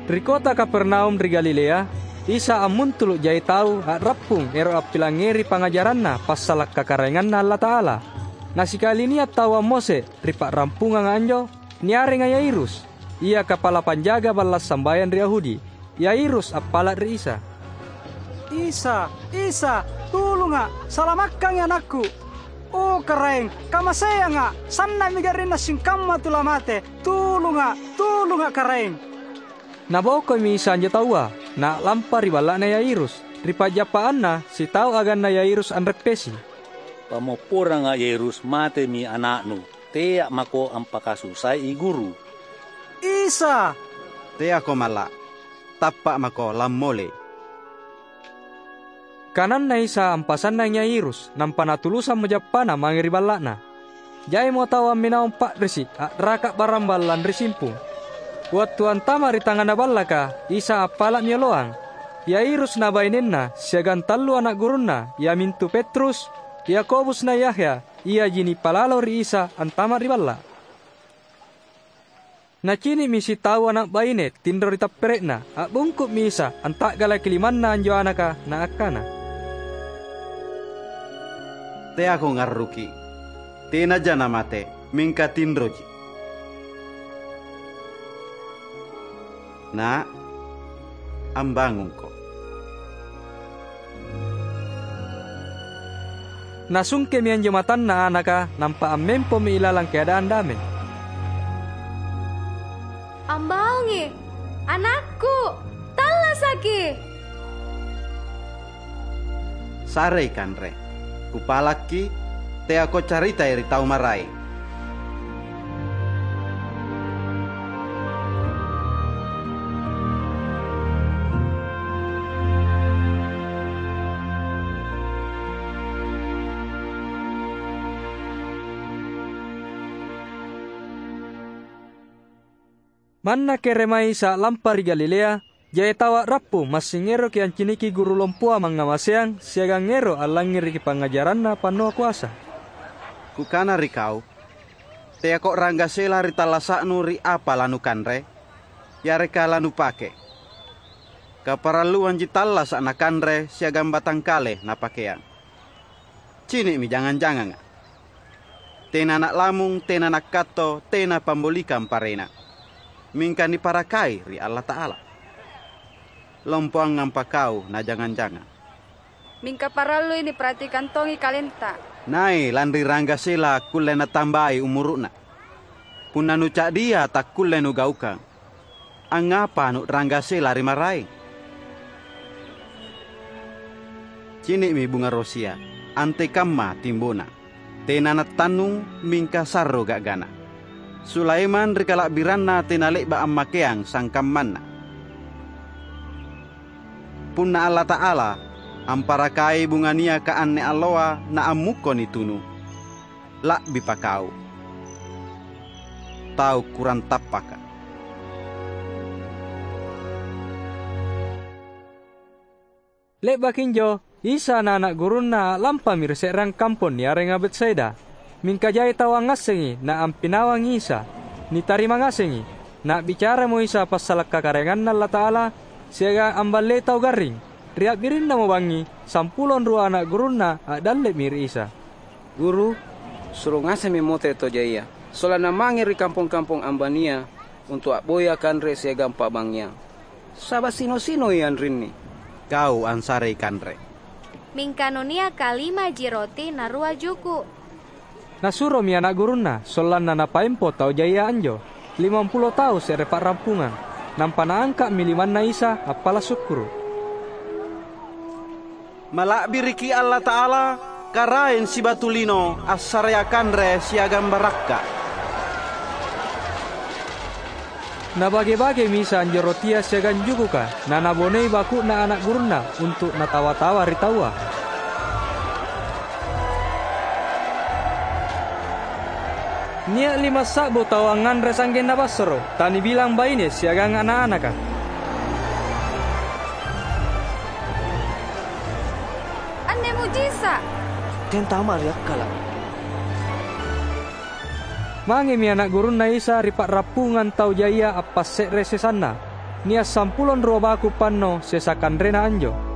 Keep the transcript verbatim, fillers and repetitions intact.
Ri kota Kapernaum ri Galilea, Isa ammuntulu’ jai tau a'rappung ero’ appilangngeri pangngajaranNa passala’ kakaraenganNa Allata'ala. Na sikali nia’ tau ammose’ ri pa'rampunganga anjo, niarenga Yairus, ia kapala panjaga balla’ sambayang ri Yahudi. Yairus appala’ ri Isa, "Isa, Isa, tulunga’! Salamakkangi anakku! O, Karaeng, kamaseanga’! Sanna'mi garrinna singkamma tu lamate! Tulunga’, tulunga’, Karaeng!" Nabokoimi Isa anjo taua, na a'lampa ri balla'na Yairus. Ri pa'jappaanna, sitau aganna Yairus anreppesi. "Pammopporanga’, Yairus, matemi ana'nu. Tea’ mako ampakasusai Guru." "Isa!" "Teako malla’. Tappa’ mako, lammolei." Kananna Isa ampasannangi Yairus, nampa natulusammo jappana mange ri balla'na. Jaimo tau amminawang pa'risi’ a'raka’ barambalang ri simpung. Wattu antama’ ri tangnga ballaka, Isa appala'mi oloang. Yairus na bainenna siagang tallu ana’ gurunna, iamintu Petrus, Yakobus na Yahya, iaji nipalalo ri Isa antama’ ri balla’. Nacini'mi sitau ana’ baine tinro ri tappere'na. A'bungku'mi Isa, anta'galaki limanna anjo anaka, na akkana, "Teako ngarruki’. Tenaja namate, mingka tinroji. Na’, ambangungko." Nasungkemi anjo matanna anaka, nampa ammempomi ilalang keadaan damai. "Ambaungi, anakku! Tallasaki!" "Sarei kanre. Kupalakki’, teako caritai ri tau maraeng." Manna kere mai Isa a'lampa ri Galilea, jai tau a'rappu massing eroki anciniki guru lompoa mangngamaseang siagang ero’ allangngereki pangngajaranna pannoa koasa. "Kukana ri kau, teako ranggasela ri tallasa'nu ri apa lanukanre yareka lanupake. Kaparalluanji tallasa’ nakanre siagang batangkale napakeang. Cini'mi jangang-janganga. Tena ana’ lamung, tena ana’ katto, tena pambolikang parena, mingka niparakai ri Allata'ala. Lompoangampa kau na jangang-jangang." "Mingka parallui niparhatikang tongi kalenta." "Nai lanri ranggasela akkulle natambai umuru'na. Punna nuca'dia takkulle nugaukang. Angngapa nu'ranggasela ri maraeng? Cini'mi bunga rosia, antekamma timbona. Tena nattannung, mingka sarro ga'gana. Sulaimang ri kala'biranna tena le'ba’ ammakeang sangkammanna. Punna Allata'ala amparakai bunga niaka anne alloa naammukko nitunu, la'bipa kau, tau kurang tappaka." Le'baki anjo, Isa na ana’ gurunNa a'lampami ri se'reang kampong niarenga Betsaida. Mingka jai tau angngassengi na ampinawangi Isa. Nitarima ngasengi. Na'bicaramo Isa passala’ kakaraenganNa Allata'ala siagang amballei tau garring. Ri a'birinnamo bangngi, sampulo anrua ana’ gurunNa a'dalle'mi ri Isa. "Guru, suro ngasemmi mote tau jaia, sollanna mange ri kampong-kampong ambania untu’ a'boya kanre siagang pa'bangngeang. Saba’ sino-sinoi anrinni." "Kau ansarei kanre." Mingka nuniaka limaji roti na rua juku’. Nasuromi ana’ gurunNa, sollanna napaempo tau jaia anjo, limampulo tau se're pa'rampungang. Nampa naangka'mi limanna Isa appala’ sukkuru’. "Mala'biriki Allata'ala, Karaeng sibatu lino assarea kanre siagang barakka’." Nabage-bagemi Isa anjo rotia siagang jukuka, nanabonei baku'na ana’ gurunNa untu’ natawa-tawa ri taua. Nia’ limassa'bu tau angnganre sa'genna bassoro’, tanibilang baine siagang ana’-anaka. "Anne mujiza’! Tentama ri akkala’!" Mangemi ana’ gurunNa Isa ri pa'rappungang tau jaia appasse're sesanna. nia’ sampulo anrua baku’ panno sesa kanrena anjo.